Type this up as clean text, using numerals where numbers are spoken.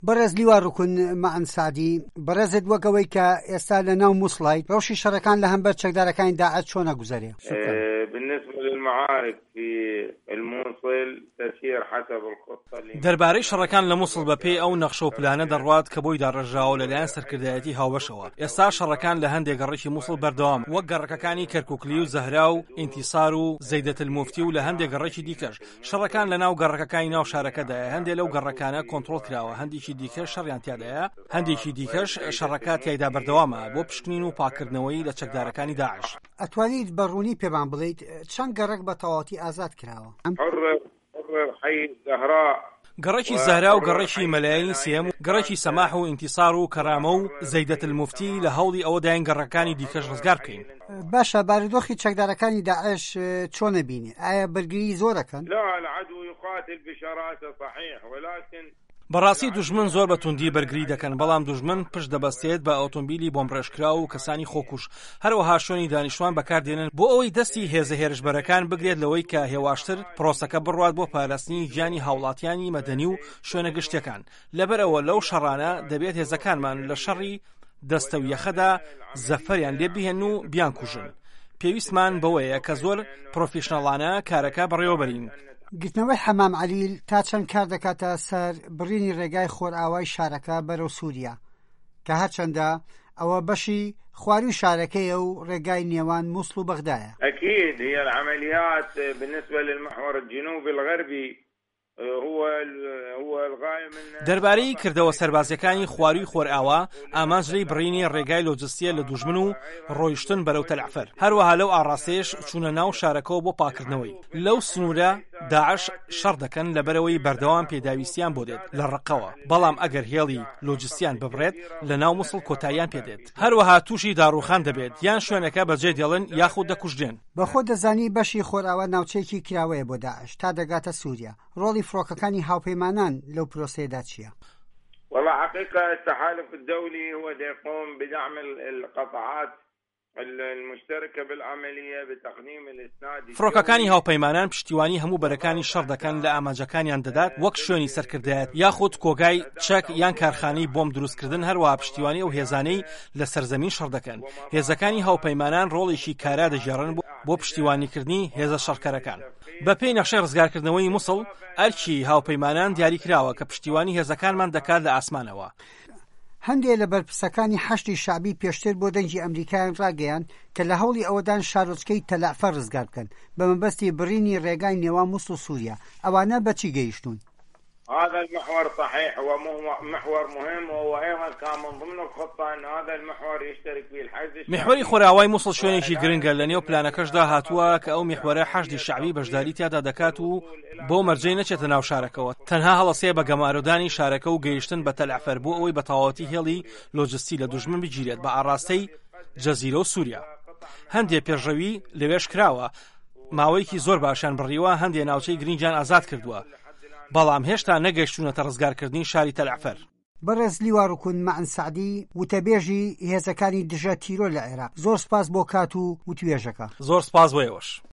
بەڕێز لیوا ڕوکن مەعن سەعدی، بەڕێزت وەک ئەوەی کە ئێستا لە ناو موسڵایت، ڕەوشی شەڕەکان لە هەمبەر چەکدارەکانی داعش چۆن ئەگوزەرێ؟ شکرا. بالنسبە للمعارک فی الموصل تسیر حسب الخطە اللي دەربارەی شەڕەکان لە موسڵ بە پێی ئەو نەخشە و پلانە دەڕوات کە بۆی داڕێژراوە لە لایەن سەرکردایەتی هاوبەشەوە. ئێستا شەڕەکان لە هەندێ گەڕەکی موسڵ بەردەوامە وەک گەڕەکەکانی کەرکوکلی و زەهرا و ئینتیسار و زەیدەتلموفتی و لە هەندێ گەڕەکی دیکەش. شەڕەکان لە ناو گەڕەکەکانی ناو شارەکەدایە، هەندێ لەو گەڕەکانە کۆنتڕۆڵ کراوە، هەندێکی دیکەش شەڕیان تیادایە، هەندێکی دیکەش شەڕەکە تیایدا بەردەوامە بۆ پشکنین و پاککردنەوەی لە چەکدارەکانی داعش. ئەتوانیت بە ڕوونی پێمان بڵێیت چەند گەڕەک بە تەواوەتی ئازاد کراوە؟ گەڕەکی زەهرا و گەڕەکی مەلایەنی سێیەم و گەڕەکی سەماح و ئینتیسار و کەرامە و زەیدەتلموفتی لە هەوڵی ئەوەداین گەڕەکەکانی دیکەش ڕزگار بکەین. باشە بارودۆخی چەکدارەکانی داعش چۆن ئەبینی؟ ئایا بەرگری زۆر ئەکەن؟ بەڕاستی دوژمن زۆر بە توندی بەرگری دەکەن، بەڵام دوژمن پشت دەبەستێت بە ئۆتۆمبیلی بۆمبڕێژکراو و کەسانی خۆکوژ، هەروەها شوێنی دانیشتوان بەکاردێنن بۆ ئەوەی دەستی هێزە هێرشبەرەکان بگرێت لەوەی کە هێواشتر پرۆسەکە بڕوات بۆ پاراستنی گیانی هاوڵاتیانی مەدەنی و شوێنە گشتیەکان. لەبەرئەوە لەو شەڕانە دەبێت هێزەکانمان لە شەڕی دەستە و یەخەدا زەفەریان لێ بهێن و بیانکوژن. پێویستمان بەوەیە کە زۆر پرۆفیشناڵانە کارەکە بەڕێوەبەرین. گرتنەوەی حەمام عەلیل تا چەند کار دەکاتە سەر بڕینی ڕێگای خۆرئاوای شارەکە بەرەو سووریا، کە هەرچەندە ئەوە بەشی خوارووی شارەکەیە و ڕێگای نێوان موسڵ و بەغدایە. اكيد هي العمليات بالنسبة للمحور الجنوبي الغربي دەربارەی کردەوە سەربازیەکانی خواروی خۆرئاوا، ئامانج لێی بڕینی ڕێگای لۆجستیە لە دوژمن و ڕۆیشتن بەرەو تەلەعفەر، هەروەها لەو ئاڕاستەیەش چوونە ناو شارەکەوە بۆ پاکردنەوەی. لەو سنوورە داعش شەڕ دەکەن لەبەرئەوەی بەردەوام پێداویستیان بۆ دێت لە ڕەققەوە، بەڵام ئەگەر هێڵی لۆجستیان ببڕێت لە ناو موسڵ کۆتاییان پێدێت. هەروەها تووشی داڕووخان دەبێت، یان شوێنەکە بەجێ دێڵن یاخود دەکوژرێن. بە خۆت دەزانی بەشی خۆرئاوا ناوچەیەکی کراوەیە بۆ داعش تا دەگاتە سوریا، ڕۆڵی فڕۆکەکانی هاوپەیمانان لەو پرۆسەیەدا چییە؟ واللە حقیقە التحالف الدولی هو ديقوم بدعم القطعات المشترکە بالعملیە بتقدیم الاسناد فڕۆکەکانی هاوپەیمانان پشتیوانی هەموو بەرەکانی شەڕ دەکەن لە ئامانجەکانیان دەدات وەک شوێنی سەرکردایەتی یاخود کۆگای چەک یان کارخانەی بۆمب دروستکردن هەروەها پشتیوانی ئەو هێزانەی لە سەرزەمین شەڕ دەکەن هێزەکانی هاوپەیمانان ڕۆڵێکی کارا دەگێڕن بۆ پشتیوانیکردنی هێزە شەڕکەرەکان. بەپێی نەخشەی ڕزگارکردنەوەی موسڵ، ئەرکی هاوپەیمانان دیاریکراوە کە پشتیوانی هێزەکانمان دەکات لە ئاسمانەوە. هەندێ لە بەرپرسەکانی حەشدی شەعبی پێشتر بۆ دەنگی ئەمریکایان ڕاگەیاند کە لە هەوڵی ئەوەدان شارۆچکەی تەلەعفەر ڕزگار بکەن بە مەبەستی بڕینی ڕێگای نێوان موسڵ و سوریا، ئەوانە بە چی گەیشتوون؟ هذا المحور صحيح هو محور مهم وهو أيضا كان من ضمن الخطة أن هذا المحور يشترك فيه الحشد الشعبي میحوەری خۆرئاوای موسڵ شوێنێکی گرنگە، لەنێو پلانەکەشدا هاتووە کە ئەو میحوەرە حەشدی شەعبی بەشداری تیادا دەکات و بەو مەرجەی نەچێتە ناو شارەکەوە، تەنها هەڵەسێ بە گەمارۆدانی شارەکە و گەیشتن بە تەلەعفەر بۆ ئەوەی بە تەواوەتی هێڵی لۆجستی لە دوژمن بگیرێت بە ئاڕاستەی جەزیرە و سوریا. هەندێ پێشڕەوی لەوێش کراوە، ماوەیەکی زۆر باشیان بڕیوە، هەندێ ناوچەی گرنگیان ئازاد کردووە. بەڵام هێشتا نەگەیشتوونەتە ڕزگارکردنی شاری تەلەعفەر. بەڕێز لیوا ڕوکن مەعن سەعدی، وتەبێژی هێزەکانی دژە تیرۆر لە عێراق، زۆر سوپاس بۆ کات و وتوێژەکە. زۆر سوپاس بۆ ئێوەش.